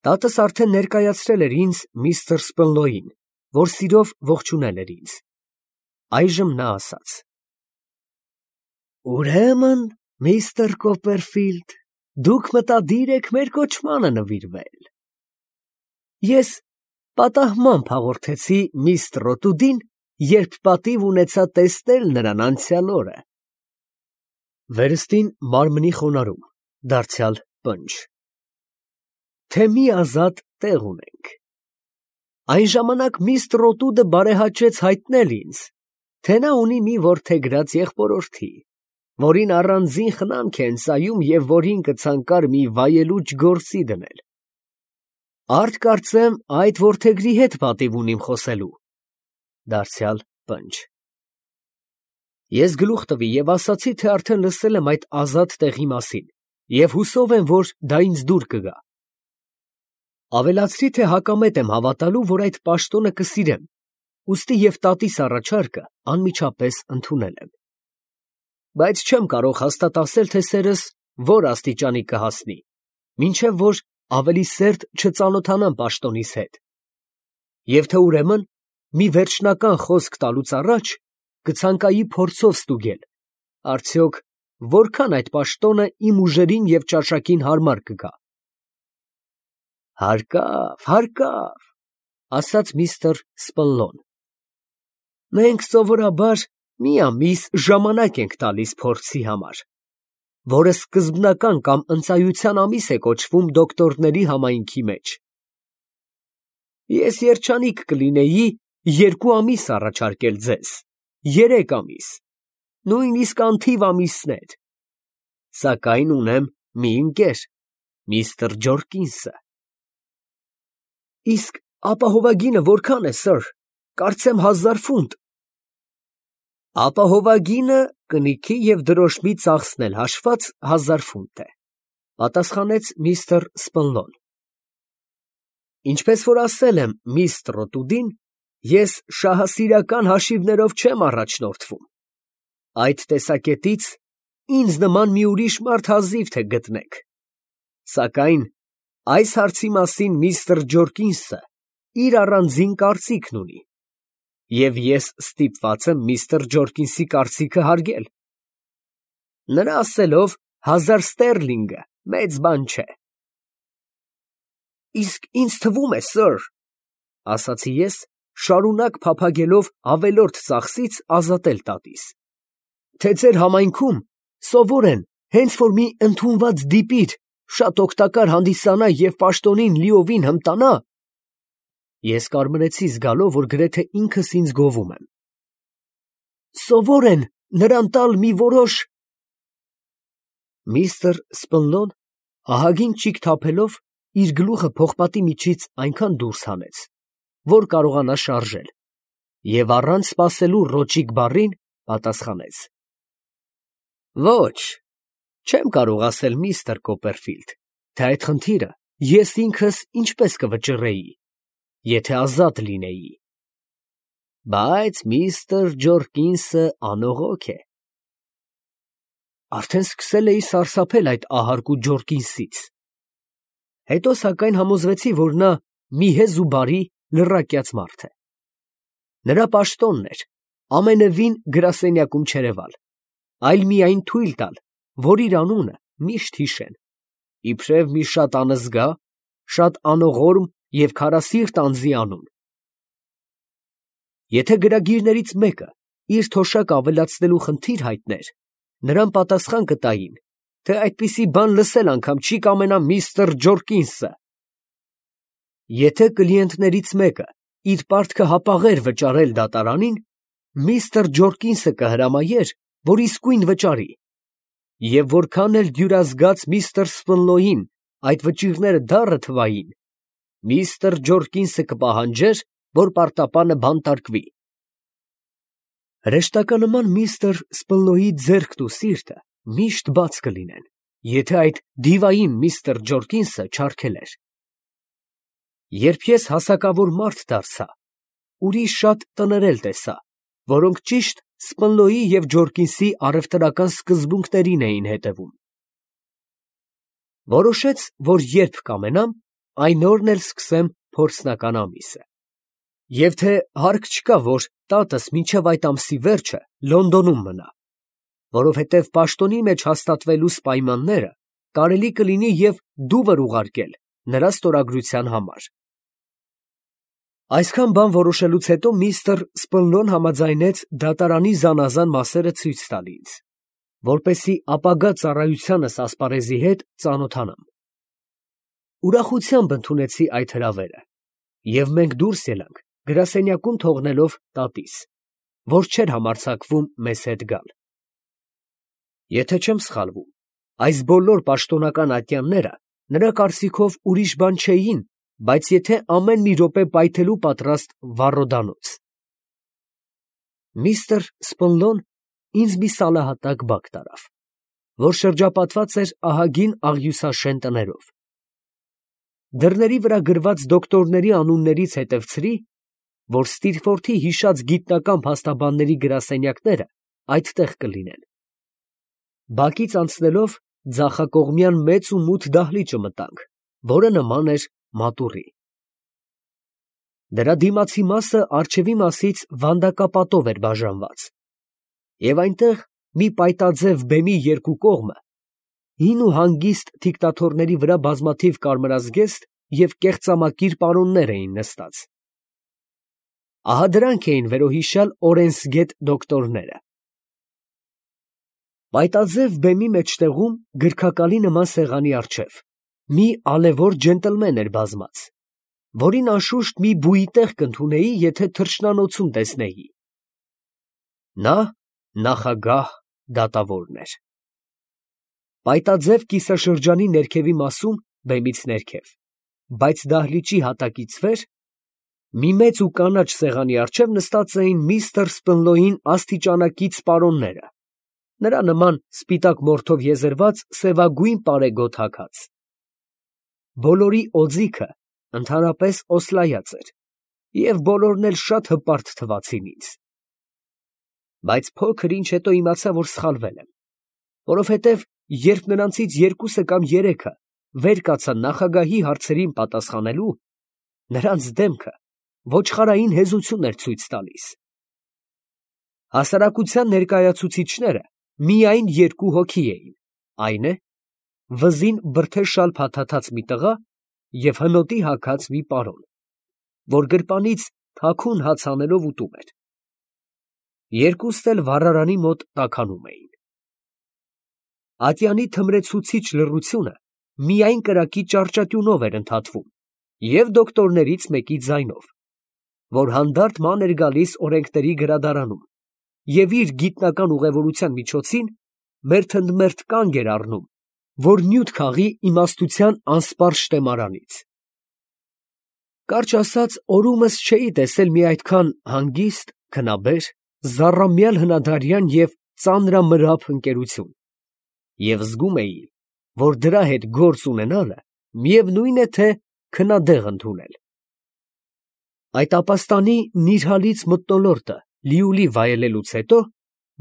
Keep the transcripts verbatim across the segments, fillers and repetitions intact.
Տատս արդեն ներկայացրել էր ինձ միստր Սպլնոյին, որ սիրով ողջունել էր ինձ։ Այժմ նա ասաց. «Ուրեմն, միստր Կոպերֆիլդ, դուք մտադիր եք մեր կոչմանը նվիրվել։ Ես պատահմամբ հաղորդեցի միստր Ռոտուդին, երբ պատիվ ունեցա տեսնել նրան անցյալ օրը»։ Վերստին մարմնի խոնարհում, դարձյալ պնջ։ Թե մի ազատ տեղ ունենք։ Այն ժամանակ միստր Ռոտուդը բարեհաճեց հայտնել ինձ, թե նա ունի մի որդեգրած եղբորորդի, որին առանձին խնամք է ընծայում և որին կցանկար մի վայելուչ գործի դնել։ Արդ կարծեմ այդ որդեգրի հետ պատիվ ունիմ խոսելու, դարձյալ պնջ։ Ես գլուխ տվի և ասացի, թե արդեն լսել եմ այդ ազատ տեղի մասին և հուսով եմ, որ դա ինձ դուր կգա։ Ավելացրի, թե հակամետ եմ հավատալու, որ այդ պաշտոնը կսիրեմ, ուստի և տատիս առաջարկը անմիջապես ընդունել եմ։ Բայց չեմ կարող հաստատ ասել, թե սերս որ աստիճանի կհասնի, մինչև որ ավելի սերտ չծանոթանամ պաշտոնիս հետ, և թե ուրեմն մի վերջնական խոսք տալուց առաջ կցանկայի փորձով ստուգել, արդյոք որքան այդ պաշտոնը իմ ուժերին և ճաշակին հարմար կգա։ Հարկավ, հարկավ, ասաց միստր Սպլնոն։ Մենք սովորաբար մի ամիս ժամանակ ենք տալիս փորձի համար, որը սկզբնական կամ ընծայության ամիս է կոչվում դոկտորների համայնքի մեջ։ Ես երջանիկ կլինեի երկու ամիս առաջարկել ձեզ, երեք ամիս, նույնիսկ անթիվ ամիսներ, սակայն ունեմ մի ընկեր, միստր Ջորկինսը։ Իսկ ապահովագինը որքան է, սըր, կարծեմ հազար ֆունտ։ Ապահովագինը կնիքի և դրոշմի ծախսն էլ հաշված հազար ֆունտ է, պատասխանեց միստր Սպլնոն։ Ինչպես որ ասել եմ միստր Ռոտուդին, ես շահասիրական հաշիվներով չեմ առաջնորդվում։ Այդ տեսակետից ինձ նման մի ուրիշ մարդ հազիվ թե գտնեք։ Սակայն այս հարցի մասին միստր Ջորկինսը իր առանձին կարծիքն ունի, և ես ստիպված եմ միստր Ջորկինսի կարծիքը հարգել։ Նրա ասելով, հազար ստերլինգը մեծ բան չէ։ Իսկ ինձ թվում է, սըր, ասացի ես, շարունակ փափագելով ավելորդ ծախսից ազատել տատիս, թե ձեր համայնքում սովոր են, հենց որ մի ընդունված դիպիր շատ օգտակար հանդիսանա և պաշտոնին լիովին հմտանա, ես կարմրեցի զգալով, որ գրեթե ինքս ինձ գովում եմ, սովոր են նրան տալ մի որոշ… Միստր Սպլնոն ահագին ճիգ թափելով իր գլուխը փողպատի միջից այնքան դուրս հանեց, որ կարողանա շարժել, և առանց սպասելու ռոճիկ բառին պատասխանեց. Ոչ, չեմ կարող ասել միստր Կոպերֆիլդ, թե այդ խնդիրը ես ինքս ինչպես կվճռեի, եթե ազատ լինեի, բայց միստր Ջորկինսը անողոք է։ Արդեն սկսել էի սարսափել այդ ահարկու Ջորկինսից։ Հետո սակայն համոզվեցի, որ նա մի հեզ ու բարի լռակյաց մարդ է։ Նրա պաշտոնն էր ամենևին գրասենյակում չերևալ, այլ միայն թույլ տալ, որ իր անունը միշտ հիշեն, իբրև մի շատ անզգա, շատ անողորմ և քարասիրտ անձի անուն։ Եթե գրագիրներից մեկը իր թոշակը ավելացնելու խնդիր հայտներ, նրան պատասխան կտային, թե այդպիսի բան լսել անգամ չի կամենա միստր Ջորկինսը։ Եթե կլիենտներից մեկը իր պարտքը հապաղեր վճարել դատարանին, միստր Ջորկինսը կհրամայեր, որ իսկույն վճարի, և որքան էլ դյուրազգաց միստր Սպլնոյին այդ վճիռները դառը թվային, միստր Ջորկինսը կպահանջեր, որ պարտապանը բանտարկվի։ Հրեշտականման միստր Սպլնոյի ձեռքն ու սիրտը միշտ բաց կլինեն, եթե այդ դիվային միստր Ջորկինսը չարգելեր։ Երբ ես հասակավոր մարդ դարձա, ուրիշ շատ տներել տեսա, որոնք ճիշտ Սպլնոյի և Ջորկինսի առևտրական սկզբունքներին էին հետևում։ Որոշեց, որ երբ կամենամ, այն օրն էլ սկսեմ փորձնական ամիսը։ Եվ թե հարկ չկա, որ տատս մինչև այդ ամսի վերջը Լոնդոնում մնա, որովհետև պաշտոնի մեջ հաստատվելուս պայմանները կարելի կլինի և դուվր ուղարկել նրա ստորագրության համար։ Այսքան բան որոշելուց հետո միստր Սպնլոն համաձայնեց դատարանի զանազան մասերը ցույց տալ ինձ, որպեսզի ապագա ծառայությանս ասպարեզի հետ ծանոթանամ։ Ուրախությամբ ընդունեցի այդ հրավերը, և մենք դուրս ելանք, գրասենյակում թողնելով տատիս, որ չէր համարձակվում մեզ հետ գալ։ Եթե չեմ սխալվում, այս բոլոր պաշտոնական ատյանները նրա կարծիքով ուրիշ բան չէին, բայց եթե ամեն մի րոպե պայթելու պատրաստ վառոդանոց։ Միստր Սպնլոն ինձ մի սալահատակ բակ տարավ, որ շրջապատված էր ահագին աղյուսաշեն տներով։ Դռների վրա գրված դոկտորների անուններից հետևցրի, որ Ստիլֆորթի հիշած գիտնական փաստաբանների գրասենյակները այդտեղ կլինեն։ Բակից անցնելով ձախակողմյան մեծ ու մութ դահլիճը մտանք, որը նման էր մատուռի։ Դրա դիմացի մասը առջևի մասից վանդակապատով էր բաժանված, և այնտեղ մի պայտաձև բեմի երկու կողմը հին ու հանգիստ դիկտաթորների վրա բազմաթիվ կարմրազգեստ և կեղծամակիր պարոններ էին նստած։ Ահա դրանք էին վերոհիշյալ օրենսգետ դոկտորները։ Պայտաձև բեմի մեջտեղում գրքակալի նման սեղանի առջև մի ալևոր ջենտլմեն էր բազմած, որին անշուշտ մի բուի տեղ կընդունեի, եթե թռչնանոցում տեսնեի։ Նա նախագահ դատավորն էր։ Պայտաձև կիսաշրջանի ներքևի մասում, բեմից ներքև, բայց դահլիճի հատակից վեր, մի մեծ ու կանաչ սեղանի առջև նստած էին միստր Սպնլոյին աստիճանակից պարոնները, նրա նման սպիտակ մորթով եզերված սևագույն պարեգոտ հագած։ Բոլորի օձիքը ընդհանրապես օսլայած էր, և բոլորն էլ շատ հպարտ թվացին ինձ։ Բայց փոքր ինչ հետո իմացա, որ սխալվել եմ, որովհետև երբ նրանցից երկուսը կամ երեքը վեր կացան նախագահի հարցերին պատասխանելու, նրանց դեմքը ոչխարային հեզություն էր ցույց տալիս։ Հասարակության ներկայացուցիչները միայն երկու հոգի էին, այն է, վզին բրդե շալ փաթաթած մի տղա և հնոտի հագած մի պարոն, որ գրպանից թաքուն հաց հանելով ուտում էր։ Երկուստ էլ վառարանի մոտ տաքանում էին։ Ատյանի թմրեցուցիչ լռությունը միայն կրակի ճառճատյունով էր ընդհատվում և դոկտորներից մեկի ձայնով, որ հանդարտ ման էր գալիս օրենքների գրադարանում և իր գիտնական ուղևորության միջոցին մերթընդմերթ կանգ էր առնում, որ նյութ քաղի իմաստության անսպառ շտեմարանից։ Կարճ ասած, օրումս չէի տեսել մի այդքան հանգիստ, քնաբեր, զառամյալ հնադարյան և ծանրամրափ ընկերություն, և զգում էի, որ դրա հետ գործ ունենալը միևնույն է, թե քնադեղ ընդունել։ Այդ ապաստանի նիրհալից մթնոլորտը լիուլի վայելելուց հետո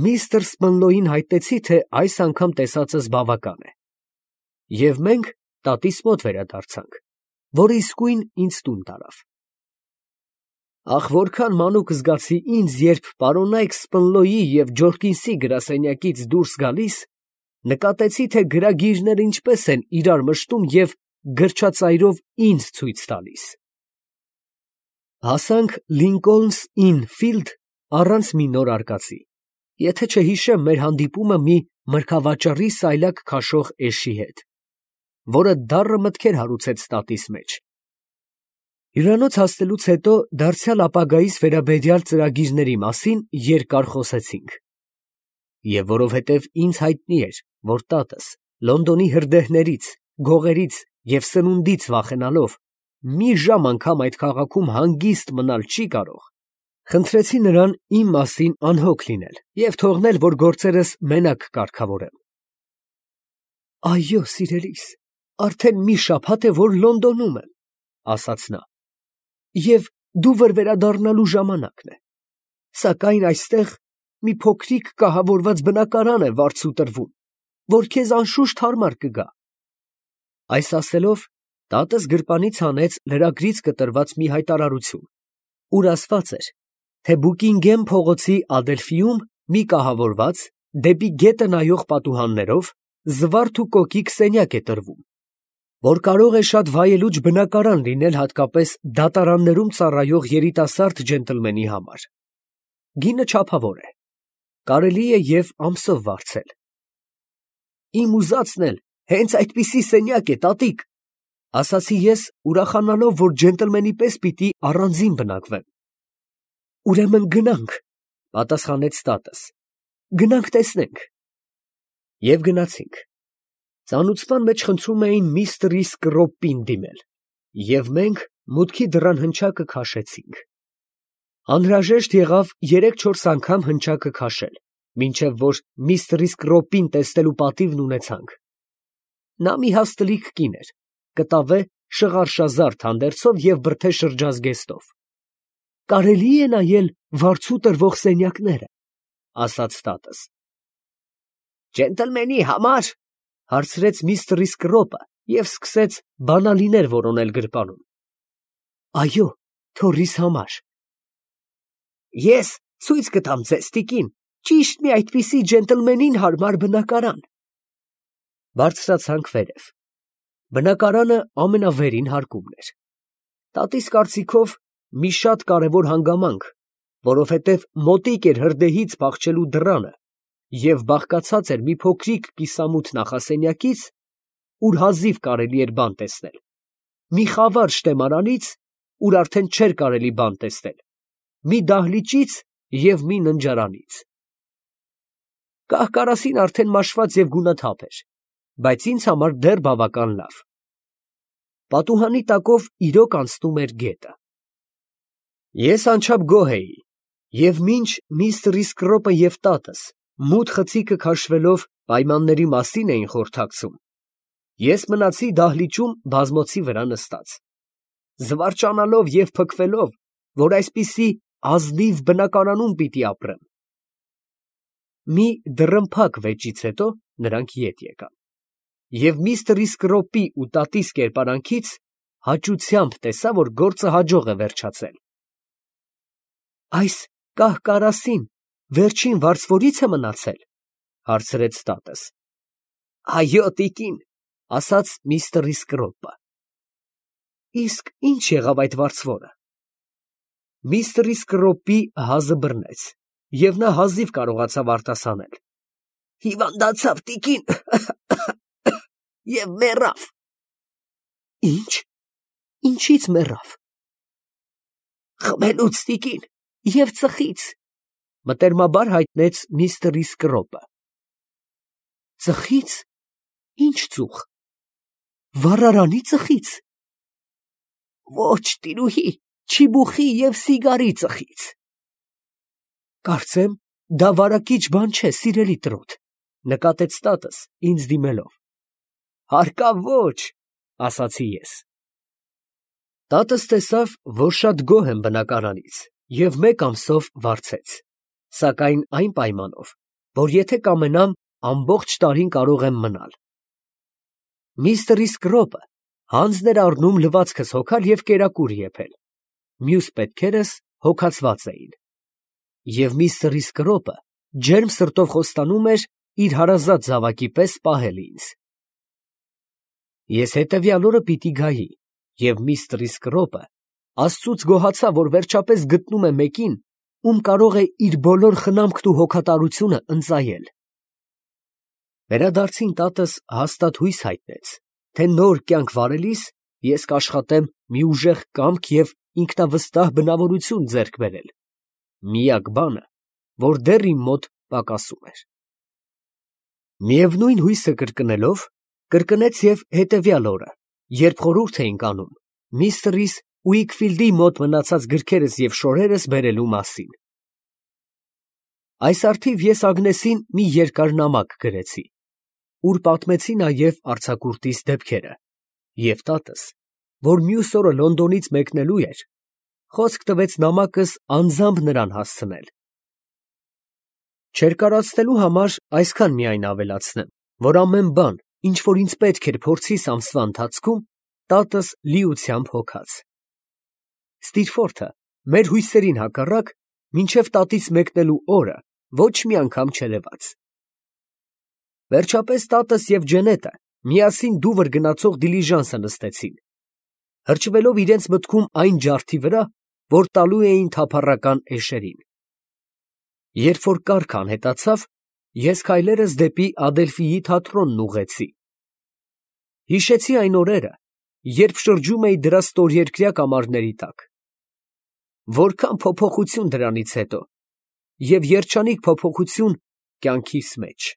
միստր Սպնլոյին հայտնեցի, թե այս անգամ տեսածս բավական է, և մենք տատիս մոտ վերադարձանք, որը իսկույն ինձ տուն տարավ։ Ախ, որքան մանուկ զգացի ինձ, երբ պարոնայք Սպնլոյի և Ջորկինսի գրասենյակից դուրս գալիս նկատեցի, թե գրագիրները ինչպես են իրար մշտում և գրչածայրով ինձ ցույց տալիս։ Հասանք Լինկոլնս Ինն Ֆիլդ առանց մի նոր արկածի, եթե չհիշեմ մեր հանդիպումը մի մրգավաճառի սայլակ քաշող էշի հետ, որը դառը մտքեր հարուցեց տատիս մեջ։ Հյուրանոց հասնելուց հետո դարձյալ ապագայիս վերաբերյալ ծրագիրների մասին երկար խոսեցինք, և որովհետև ինձ հայտնի էր, որ տատս Լոնդոնի հրդեհներից, գողերից և սնունդից վախենալով մի ժամ անգամ այդ քաղաքում հանգիստ մնալ չի կարող, խնդրեցի նրան իմ մասին անհոգ լինել և թողնել, որ գործերս մենակ կարգավորեմ։ «Այո, սիրելիս, արդեն մի շաբաթ է, որ Լոնդոնում եմ, ֊ ասաց նա, ֊ և դուվր վերադառնալու ժամանակն է, սակայն այստեղ մի փոքրիկ կահավորված բնակարան է վարձու տրվում, որ քեզ անշուշտ հարմար կգա»։ Այս ասելով Տատս գրպանից հանեց լրագրից կտրված մի հայտարարություն, ուր ասված էր, թե Բուկինգեմ փողոցի Ադելֆիում մի կահավորված դեպի գետը նայող պատուհաններով զվարթ ու կոկիկ սենյակ է տրվում, որ կարող է շատ վայելուչ բնակարան լինել հատկապես դատարաններում ծառայող երիտասարդ ջենտլմենի համար։ Գինը չափավոր է, կարելի է և ամսով վարձել։ Իմ ուզածն էլ հենց այդպիսի սենյակ է, տատիկ, ասացի ես, ուրախանալով, որ ջենտլմենի պես պիտի առանձին բնակվեմ։ Ուրեմն գնանք, պատասխանեց տատս, գնանք տեսնենք։ Եվ գնացինք։ Ծանուցման մեջ խնդրում էին միստր Սկրոպին դիմել, և մենք մուտքի դռան հնչակը քաշեցինք։ Անհրաժեշտ եղավ երեք֊չորս անգամ հնչակը քաշել, մինչև որ միստր Սկրոպին տեսնելու պատիվն ունեցանք։ Նա մի հաստլիկ կին էր, կտավե շղարշազարդ հանդերձով և բրդե շրջազգեստով։ Կարելի է նայել վարձու տրվող սենյակները, ասաց տատս։ Ջենտլմենի համար, հարցրեց միստր Սկրոպը և սկսեց բանալիներ որոնել գրպանում։ Այո, թոռիս համար։ Ես ցույց կտամ ձեզ, տիկին, ճիշտ մի այդպիսի ջենտլմենին հարմար բնակարան։ Բարձրացանք վերև։ Բնակարանը ամենավերին հարկումն էր։ Տատիս կարծիքով մի շատ կարևոր հանգամանք, որովհետև մոտիկ էր հրդեհից փախչելու դռանը և բաղկացած էր մի փոքրիկ կիսամութ նախասենյակից, ուր հազիվ կարելի էր բան տեսնել, մի խավար շտեմարանից, ուր արդեն չէր կարելի բան տեսնել, մի դահլիճից և մի ննջարանից։ Կահ֊կարասին արդեն մաշված և գունաթափ էր, բայց ինձ համար դեռ բավական լավ։ Պատուհանի տակով իրոք անցնում էր գետը։ Ես անչափ գոհ էի, և մինչ միստր Սկրոպը և տատս մութ խցիկը քաշվելով պայմանների մասին էին խորհրդակցում, ես մնացի դահլիճում բազմոցի վրա նստած, զվարճանալով և փքվելով, որ այսպիսի ազնիվ բնակարանում պիտի ապրեմ։ Մի դռնփակ վեճից հետո նրանք ետ եկան, և միստր Սկրոպի ու տատիս կերպարանքից հաճությամբ տեսա, որ գործը հաջող է վերջացել։ Այս կահ֊կարասին վերջին վարձվորի՞ց է մնացել, հարցրեց տատս։ Այո, տիկին, ասաց միստր Սկրոպը։ Իսկ ի՞նչ եղավ այդ վարձվորը։ Միստր Սկրոպի հազը բռնեց, և նա հազիվ կարողացավ արտասանել։ Հիվանդացավ, տիկին, և մեռավ։ Ի՞նչ, ինչի՞ց մեռավ։ Խմելուց, տիկին, և ծխից, մտերմաբար հայտնեց միստր Սկրոպը։ Ծխի՞ց, ի՞նչ ծուխ, վառարանի ծխի՞ց։ Ոչ, տիրուհի, չիբուխի և սիգարի ծխից։ Կարծեմ, դա վարակիչ բան չէ, սիրելի trot, նկատեց տատս ինձ դիմելով։ Հարկավ ոչ, ասացի ես։ Տատս տեսավ, որ շատ գոհ եմ բնակարանից և մեկ ամսով վարձեց, սակայն այն պայմանով, որ եթե կամենամ, ամբողջ տարին կարող եմ մնալ։ Միստր Սկրոպը հանձն էր առնում լվացքս հոգալ և կերակուր եփել, մյուս պետքերս հոգացված էին, և միստր Սկրոպը ջերմ սրտով խոստանում էր իր հարազատ զավակի պես պահել ինձ։ Ես հետևյալ օրը պիտի գայի, և միստր Սկրոպը աստծուց գոհացավ, որ վերջապես գտնում է մեկին, ում կարող է իր բոլոր խնամքն ու հոգատարությունը ընծայել։ Վերադարձին տատս հաստատ հույս հայտնեց, թե նոր կյանք վարելիս ես կաշխատեմ մի ուժեղ կամք և ինքնավստահ բնավորություն ձեռք բերել, միակ բանը, որ դեռ իմ մոտ պակասում էր։ Միևնույն հույսը կրկնելով, կրկնեց և հետևյալ օրը, երբ խորհուրդ էինք անում միստր Ուիքֆիլդի մոտ մնացած գրքերս և շորերս բերելու մասին։ Այս առթիվ ես Ագնեսին մի երկար նամակ գրեցի, ուր պատմեցի նաև արձակուրդիս դեպքերը, և տատս, որ մյուս օրը Լոնդոնից մեկնելու էր, խոսք տվեց նամակս անձամբ նրան հասցնել։ Չերկարացնելու համար այսքան միայն ավելացնեմ, որ ամեն բան, ինչ որ ինձ պետք էր փորձիս ամսվա ընթացքում, տատս լիությամբ հոգած։ Ստիրֆորթը մեր հույսերին հակառակ մինչև տատից մեկնելու օրը ոչ մի անգամ չերևաց։ Վերջապես տատս և Ջենետը միասին դուվր գնացող դիլիժանսը նստեցին, հրճվելով իրենց մտքում այն ջարդի վրա, որ տալու էին թափառական էշերին։ Երբ որ կառքը անհետացավ, ես քայլերս դեպի Ադելֆիի թատրոնն ուղղեցի։ Հիշեցի այն օրերը, երբ շրջում էի դրա ստորերկրյա կամարների տակ։ Որքան փոփոխություն դրանից հետո, և երջանիկ փոփոխություն կյանքիս մեջ։